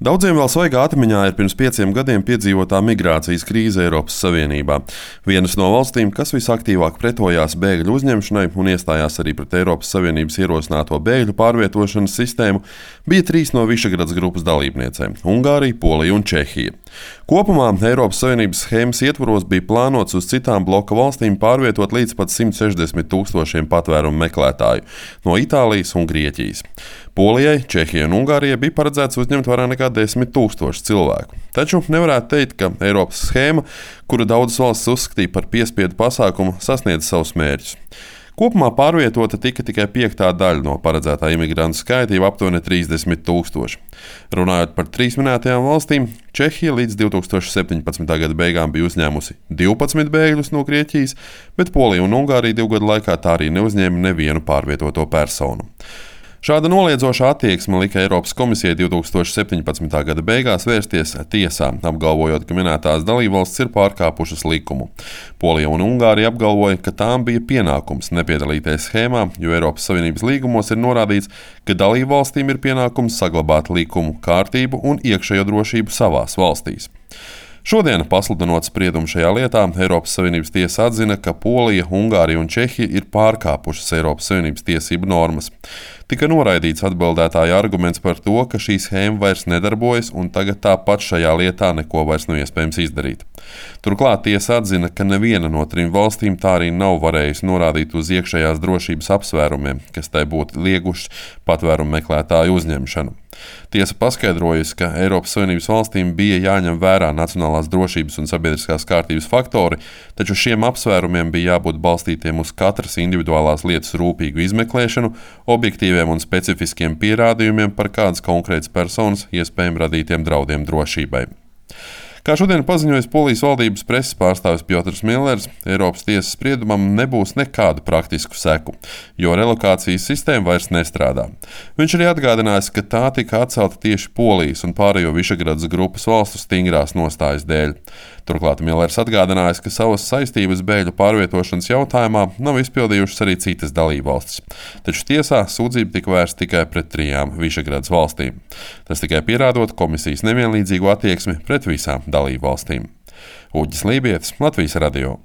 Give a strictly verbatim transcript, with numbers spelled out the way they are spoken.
Daudziem vēl svaigā atmiņā ir pirms pieciem gadiem piedzīvotā migrācijas krīze Eiropas Savienībā. Vienas no valstīm, kas visaktīvāk pretojās bēgļu uzņemšanai un iestājās arī pret Eiropas Savienības ierosināto bēgļu pārvietošanas sistēmu, bija trīs no Višegradas grupas dalībniecēm - Ungārija, Polija un Čehija. Kopumā Eiropas Savienības schēmas ietvaros bija plānots uz citām bloka valstīm pārvietot līdz pat simt sešdesmit tūkstošiem patvērumu meklētāju no Itālijas un Grieķijas. Polijai, Čehijai un Ungārijai bija paredzēts uzņemt vairāk nekā desmit tūkstoši cilvēku. Taču nevarētu teikt, ka Eiropas schēma, kuru daudzas valstis uzskatīja par piespiedu pasākumu, sasniedz savus mērķus. Kopumā pārvietota tika tikai piektā daļa no paredzētā imigrantu skaita, jau aptuveni trīsdesmit tūkstoši. Runājot par trīs minētajām valstīm, Čehija līdz divi tūkstoši septiņpadsmitā gada beigām bija uzņēmusi divpadsmit bēgļus no Grieķijas, bet Polija un Ungārija divu gadu laikā tā arī neuzņēma nevienu pārvietoto personu. Šāda noliedzoša attieksme lika Eiropas komisijai divi tūkstoši septiņpadsmitā gada beigās vērsties tiesā, apgalvojot, ka minētās dalībvalstis ir pārkāpušas likumu. Polija un Ungārija apgalvoja, ka tām bija pienākums nepiedalīties schēmā, jo Eiropas Savienības līgumos ir norādīts, ka dalībvalstīm ir pienākums saglabāt likumu, kārtību un iekšējo drošību savās valstīs. Šodien, pasludinot spriedumu šajā lietā, Eiropas Savienības tiesa atzina, ka Polija, Ungārija un Čehija ir pārkāpušas Eiropas Savienības tiesību normas. Tika noraidīts atbildētāja arguments par to, ka šī schēma vairs nedarbojas un tagad tāpat šajā lietā neko vairs nav iespējams izdarīt. Turklāt tiesa atzina, ka neviena no trim valstīm tā arī nav varējusi norādīt uz iekšējās drošības apsvērumiem, kas tai būtu lieguši patvērumu meklētāju uzņemšanu. Tiesa paskaidrojusi, ka Eiropas Savienības valstīm bija jāņem vērā nacionālās drošības un sabiedriskās kārtības faktori, taču šiem apsvērumiem bija jābūt balstītiem uz katras individuālās lietas rūpīgu izmeklēšanu, objektīviem un specifiskiem pierādījumiem par kādas konkrētas personas iespējami radītiem draudiem drošībai. Kā šodien paziņoja Polijas valdības preses pārstāvis Piotrs Millers, Eiropas tiesas spriedumam nebūs nekādu praktisku seku, jo relokācijas sistēma vairs nestrādā. Viņš arī atgādinājis, ka tā tika atcelta tieši Polijas un pārējo Višegradas grupas valstu stingrās nostājas dēļ. Turklāt Millers atgādinājis, ka savas saistības bēgļu pārvietošanas jautājumā nav izpildījušas arī citas dalībvalstis. Taču tiesā sūdzība tika vērsta tikai pret trijām Višegradas valstīm. Tas tikai pierādot komisijas nevienlīdzīgo attieksmi pret visām dalībvalstīm. Uģis Lībietis, Latvijas radio.